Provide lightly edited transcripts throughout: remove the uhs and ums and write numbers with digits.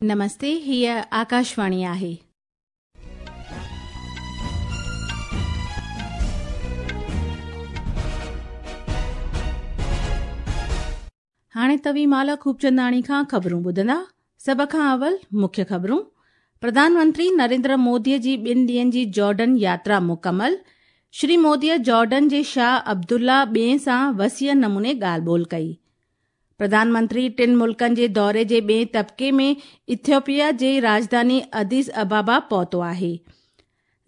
نمستي هيء آڪاشواڻي آهي. هاڻي توهين مالا خوبچنداڻي کان خبرون ٻڌندا. سڀ کان اول مکيه خبرون. پرڌان منتري نريندر مودي جي ٻن ڏينهن جي جارڊن ياترا مڪمل. شري مودي جارڊن جي شاهه عبدالله ٻئين سان وسيع نموني ڳالهه ٻولهه ڪئي. پرڌان منتري ٽن ملڪن جي دوري جي ٻئين طبقي ۾ ايٿيوپيا جي راڄڌاني اديس ابابا پهتو آهي.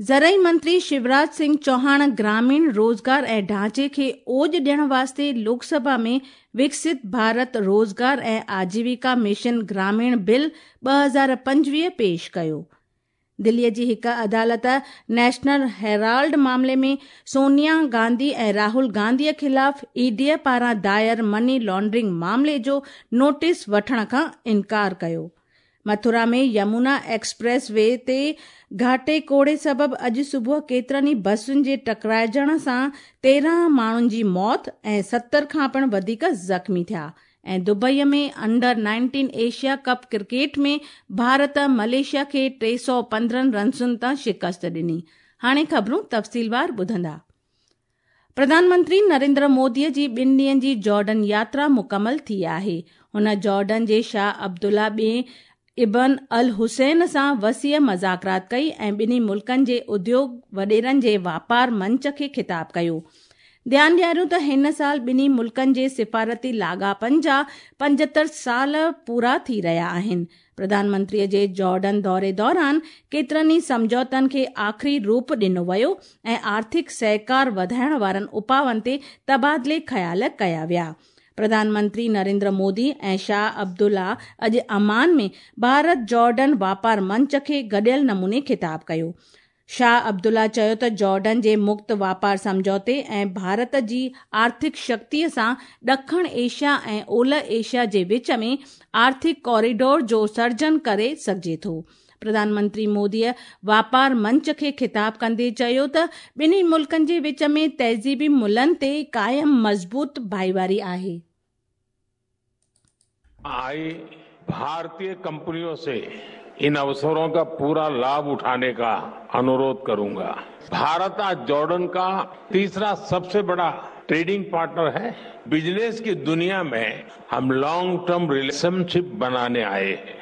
زرعي منتري شيوراج سنگهه چوهاڻ گراميڻ روزگار ۽ ڍانچي کي اوڄ ڏيڻ واسطي لوڪ سڀا ۾ وڪست ڀارت روزگار ۽ آجيوڪا مشن گراميڻ بل 2025 پيش ڪيو. دليء جي هڪ عدالت نيشنل هيرالڊ معاملي ۾ سونيا گانڌي ۽ راهول گانڌي خلاف اي ڊي پاران دائر مني لانڊرنگ معاملي جو نوٽيس وٺڻ کان انڪار ڪيو. مٿرا ۾ يمونا ايڪسپريس وي تي گهاٽي ڪوڙي سبب اڄ صبح ڪيترن ئي بسن جي ٽڪرائجڻ سان 13 ماڻهن جي موت ۽ 70 کان پڻ وڌيڪ زخمي ٿيا ۽ Dubai ۾ under 19 Asia cup cricket ۾ Bharat Malaysia کي 315 رنسن تان شڪست ڏني. هاڻي خبرون تفصيلوار ٻڌندا. پرڌان منتري نريندر مودي جي ٻن ڏينهن جي جارڊن ياترا مڪمل ٿي آهي. هن جارڊن جي شاهه عبدالله ٻئين ابن الحسين سان وسيع مذاڪرات ڪئي ۽ ٻنهي ملڪن جي اديوڳ وڏيرن جي واپار منچ کي خطاب ڪيو. ڌيان ڏياريون ته هن سال ٻنهي ملڪن جي سفارتي لاڳاپن جا 75 سال پورا ٿي رهيا آهن. پرڌان منتري جي جارڊن دوري دوران ڪيترن ئي سمجهوتن کي آخري روپ ڏنو ويو ۽ آرٿڪ سهڪار وڌائڻ وارن اپاون تي تبادلي خيال ڪيا ويا. پرڌان منتري نريندر مودي ۽ شاهه عبدالله اڄ عمان ۾ ڀارت جارڊن واپار منچ کي گڏيل نموني خطاب ڪيو. شاهه عبدالله چيو ته جارڊن جي مڪت واپار سمجهوتي ۽ ڀارت جي آرٿڪ شڪتي سان ڏکڻ ايشيا ۽ اولهه ايشيا جي وچ ۾ آرٿڪ ڪوريڊور جو سرجن ڪري سگهجي ٿو. پرڌان منتري مودي واپار منچ کي خطاب ڪندي چيو ته ٻنهي ملڪن جي وچ ۾ تهذيبي ملن تي قائم مضبوط ڀائيواري آهي. आई भारतीय कंपनियों से इन अवसरों का पूरा लाभ उठाने का अनुरोध करूंगा। भारत आज जॉर्डन का तीसरा सबसे बड़ा ट्रेडिंग पार्टनर है। बिजनेस की दुनिया में हम लॉन्ग टर्म रिलेशनशिप बनाने आए हैं।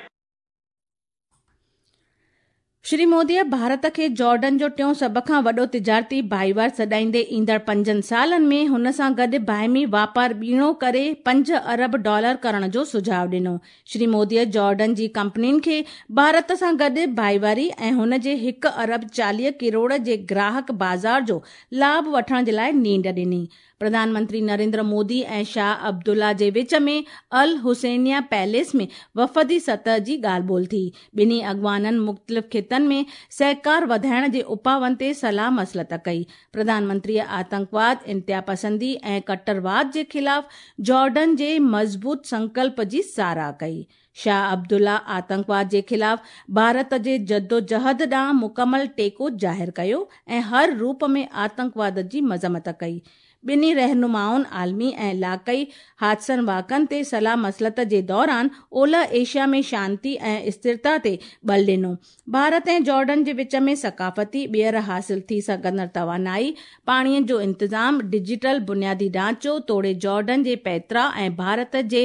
شري مودي ڀارت کي جارڊن جو ٽيون سڀ کان وڏو تجارتي ڀائيوار سڏائيندي ايندڙ 5 سالن ۾ هن سان گڏ باهمي واپار ٻيڻو ڪري 5 ارب ڊالر ڪرڻ جو سجهاء ڏنو. شري مودي جارڊن جي ڪمپنين کي ڀارت سان گڏ ڀائيواري ۽ هن جي 1 ارب 40 ڪروڙ جي گراهڪ بازار جو لاڀ وٺڻ جي لاء نينڍ ڏني. پرڌان منتري نريندر مودي ۽ شاهه عبدالله جي وچ ۾ الحسينيه پيلس ۾ وفدي سطح جي ڳالهه ٻولهه ٿي. ٻنهي اڳواڻن مختلف خطن ۾ سهڪار وڌائڻ جي اپاون تي صلاح مصلحت ڪئي. پرڌان منتري آتنڪواد، انتهاپسندي ۽ ڪٽرواد جي خلاف جارڊن جي مضبوط سنڪلپ جي ساراهه ڪئي. شاهه عبدالله آتنڪواد جي خلاف ڀارت جي جدوجهد ڏانهن مڪمل ٽيڪو ظاهر ڪيو ۽ هر روپ ۾ آتنڪواد جي مذمت ڪئي. ٻنهي رهنمائن عالمي ۽ علائقائي حادثن واقعن تي صلاح مصلحت جي دوران اولهه ايشيا ۾ شانتي ۽ استرتا تي ٻل ڏنو. ڀارت ۽ جارڊن جي وچ ۾ ثقافتي، ٻيهر حاصل ٿي سگهندڙ توانائي، پاڻي جو انتظام، ڊجيٽل بنيادي ڍانچو توڙي جارڊن جي پيترا ۽ ڀارت جي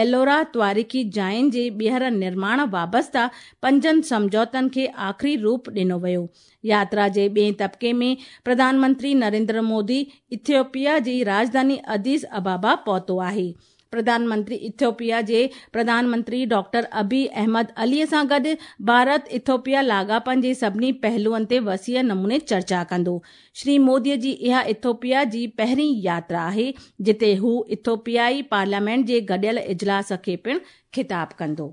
ايلورا تواريخي جاين جي ٻيهر نرماڻ وابسته پنجن سمجهوتن کي آخري روپ ڏنو ويو. ياترا جي ٻئين طبقي ۾ پرڌان منتري نريندر مودي ايٿيوپيا جي راڄڌاني اديس ابابا پهتو آهي. پرڌان منتري ايٿيوپيا جي پرڌان منتري ڊاڪٽر ابي احمد علي سان گڏ ڀارت ايٿيوپيا لاڳاپن جي سڀني پهلوئن تي وسيع نموني چرچا ڪندو. شري مودي جي اها ايٿيوپيا جي پهرين ياترا آهي، جتي هو ايٿيوپيائي پارليامينٽ جي گڏيل اجلاس کي پڻ خطاب ڪندو.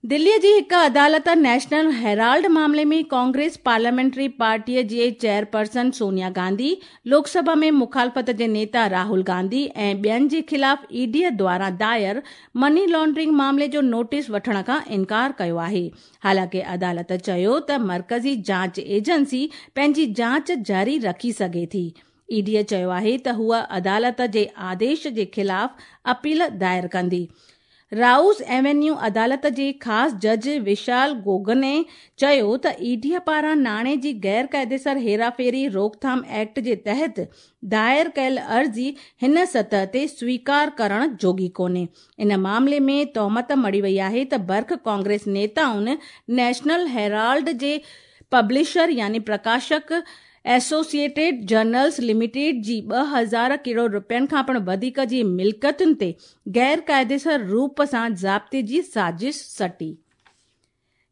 دلي جي هڪ عدالت نيشنل هيرالڊ معاملي ۾ ڪانگريس پارليامينٽري پارٽي جي چيئرپرسن سونيا گانڌي، لوڪ سڀا ۾ مخالفت جي نيتا راهول گانڌي ۽ ٻين جي خلاف اي ڊي دواران دائر مني لانڊرنگ معاملي جو نوٽيس وٺڻ کان انڪار ڪيو آهي. حالانڪه عدالت چيو ته مرڪزي جاچ ايجنسي پنهنجي جاچ جاري رکي سگهي ٿي. اي ڊي چيو آهي ته هوء عدالت جي آديش جي خلاف اپيل دائر ڪندي. رائوز ايونيو عدالت جي خاص جج وشال گوگني چيو ته اي ڊي پاران ناڻي جي غير قاعديسر هيراڦيري روڪٿام ايڪٽ جي تحت دائر ڪيل عرضي هن سطح تي سويڪار ڪرڻ جوڳي ڪونهي. ان معاملي ۾ تهمت مڙهي وئي آهي ته برک ڪانگريس نيتائن نيشنل هيرالڊ جي پبلشر يعني پرڪاشڪ ايسوسيئيٽيڊ جرنلز لميٽيڊ جي 2000 ڪروڙ رپين کان پڻ وڌيڪ جي ملڪيتن تي غير قاعديسر روپ سان ضابطي جي سازش سٽي.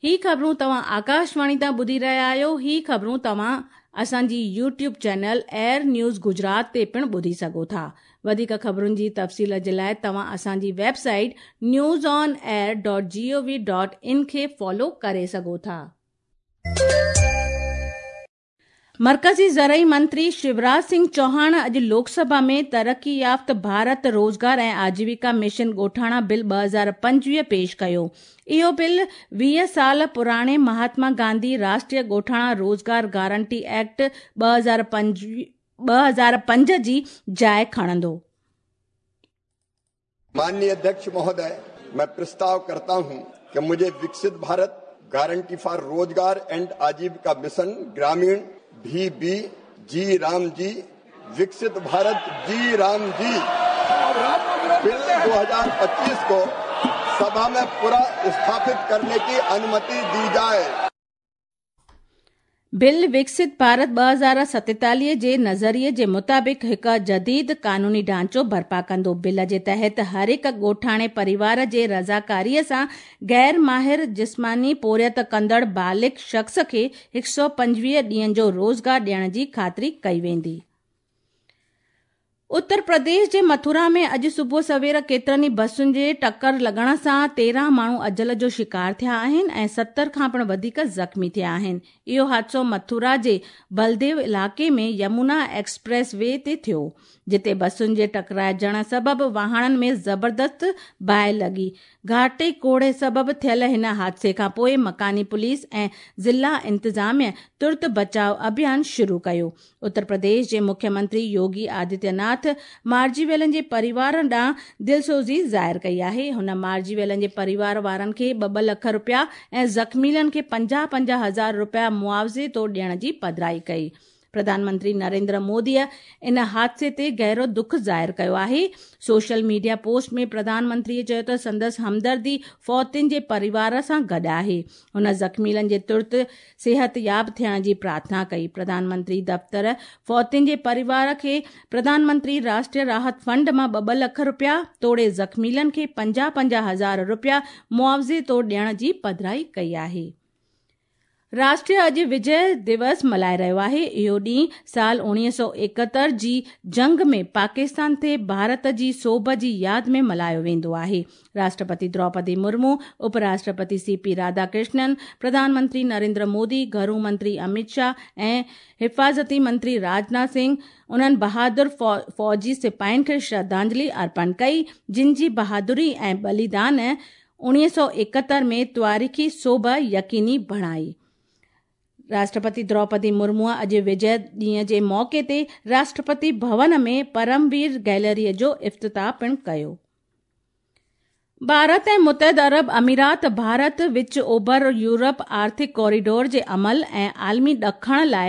هي خبرون توهان آڪاشواڻي تان ٻڌي رهيا آهيو. هي خبرون توهان اسان جي YouTube channel AIR news Gujarat تي پڻ ٻڌي سگهو ٿا. وڌيڪ خبرن جي تفصيل جي لاء توهان اسان جي website news on air dot G O V dot in کي فالو ڪري سگهو ٿا. مرڪزي زرعي منتري شيوراج سنگهه چوهاڻ اڄ لوڪ سڀا ۾ ترقي يافته ڀارت روزگار ۽ آجيوڪا مشن ڳوٺاڻا بل 2025 پيش ڪيو. اهو بل 20 سال پراڻي مهاتما گانڌي راشٽريه ڳوٺاڻا روزگار گارنٽي ايڪٽ 2005 جي جاء کڻندو. माननीय अध्यक्ष महोदय, मैं प्रस्ताव करता हूं कि मुझे Viksit Bharat guarantee for Rozgar and Ajeevika mission Gramin V B G Ram G Viksit Bharat G Ram G bill 2025 को सभा में पूरा स्थापित करने की अनुमति दी जाए। بل وڪست ڀارت 2047 جي نظريي جي مطابق هڪ جديد قانوني ڍانچو برپا ڪندو. بل جي تحت هر هڪ ڳوٺاڻي پريوار جي رضاڪاريء سان غير ماهر جسماني پورهيت ڪندڙ بالغ شخص کي 125 ڏينهن جو روزگار ڏيڻ جي خاطري ڪئي ويندي. اتر پرديش جي مٿرا ۾ اڄ صبح سوير ڪيترن ئي بسن جي ٽڪر لڳڻ سان 13 ماڻهو اجل جو شڪار ٿيا آهن ۽ 70 کان پڻ وڌيڪ زخمي ٿيا آهن. اهو حادثو مٿرا جي بلديو علائقي ۾ يمونا ايڪسپريس وي تي ٿيو، جتي بسن جي ٽڪرائجڻ سبب واهڻن ۾ زبردست باهه لڳي. گهاٽي ڪوهيڙي سبب ٿيل هن حادثي کانپوء مڪاني پوليس ۽ ضلع انتظاميه ترت بچاء اڀيان شروع ڪيو. اتر پرديش جي مکيه منتري يوگي آدتيه ناٿ مارجي ويلن جي پريوارن ڏانهن دلسوزي ظاهر ڪئي آهي. هن مارجي ويلن جي پريوار وارن کي 2-2 لک رپيا ۽ زخميلن کي 50-50 هزار رپيا معاوضي طور ڏيڻ جي پڌرائي ڪئي. پرڌان منتري نريندر موديء ان حادثي تي گهرو دک ظاهر ڪيو آهي. سوشل ميڊيا پوسٽ ۾ پرڌان منتريء چيو ته سندس همدردي فوتين جي پريوار سان گڏ آهي. هن زخميلن جي ترت صحتياب ٿيڻ جي پرارٿنا ڪئي. پرڌان منتري دفتر فوتين جي پريوار کي پرڌان منتري راشٽريه راحت فنڊ مان 2-2 لک رپيا توڙي زخميلن کي 50-50 هزار رپيا معاوضي طور ڏيڻ جي پڌرائي ڪئي آهي. راشٽر اڄ وجي دوس ملهائي رهيو آهي. اهو ڏينهن سال 1971 جي جنگ ۾ پاڪستان تي ڀارت جي سوڀ جي ياد ۾ ملهايو ويندو آهي. راشٽرپتي دروپدي مرمو، اپ راشٽرپتي سي پي راڌا ڪرشنن، پرڌان منتري نريندر مودي، گهرو منتري امت شاهه ۽ حفاظتي منتري راجناٿ سنگهه انهن بهادر فوجي سپاهين کي شرڌانجلي ارپڻ ڪئي، جن جي بهادري ۽ ٻليدان 1971 ۾ تواريخي سوڀ يقيني بڻائي. راشٽرپتي دروپدي مرموء اڄ وجي ڏينهن جي موقعي تي راشٽرپتي ڀون ۾ پرموير گيلري جو افتتاح پڻ ڪيو. ڀارت ۽ متحده عرب امارات ڀارت وچ اوڀر يورپ آرٿڪ ڪوريڊور جي عمل ۽ عالمي ڏکڻ لاء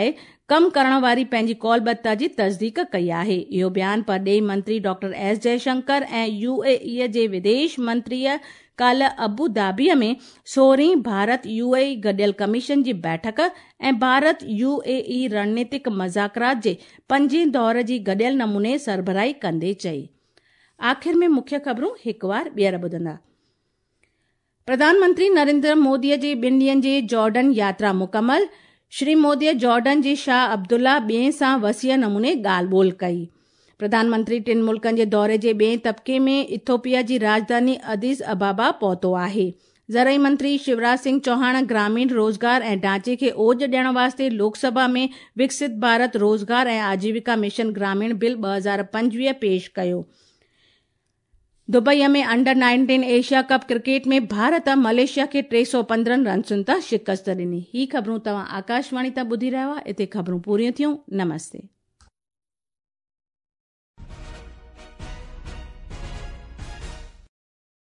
ڪم ڪرڻ واري پنهنجي قولبڌتا جي تصديق ڪئي آهي. اهو بيان پرڏيهي منتري doctor S Jaishankar ۽ U A E جي وديش منتريء ڪالهه ابو ڌابيء ۾ سورهين ڀارت يو اي اي گڏيل ڪميشن جي بيٺڪ ۽ ڀارت يو اي اي رڻنيتڪ مذاڪرات جي پنجين دور جي گڏيل نموني سربراهي ڪندي چئي. آخر ۾ مکيه خبرون هڪوار ٻيهر ٻڌندا. پرڌان منتري نريندر موديء جي ٻن ڏينهن جي جارڊن ياترا مڪمل، شري موديء جارڊن جي شاهه عبدالله ٻئين سان وسيع نموني ڳالهه ٻولهه ڪئي. پرڌان منتري ٽن ملڪن جي دوري جي ٻئين طبقي ۾ ايٿوپيا جي راڄڌاني اديس ابابا پهتو آهي. زرعي منتري شيوراج سنگهه چوهاڻ گراميڻ روزگار ۽ ڍانچي کي اوڄ ڏيڻ واسطي لوڪ سڀا ۾ وڪست ڀارت روزگار ۽ آجيوڪا مشن گراميڻ بل 2025 پيش ڪيو. Dubai ۾ under 19 Asia cup cricket ۾ Bharat Malaysia کي 315 رنسن تان شڪست ڏني. هي خبرون توهان آڪاشواڻي تان ٻڌي رهيا هئا. اتي خبرون پوريون ٿيون. نمستي.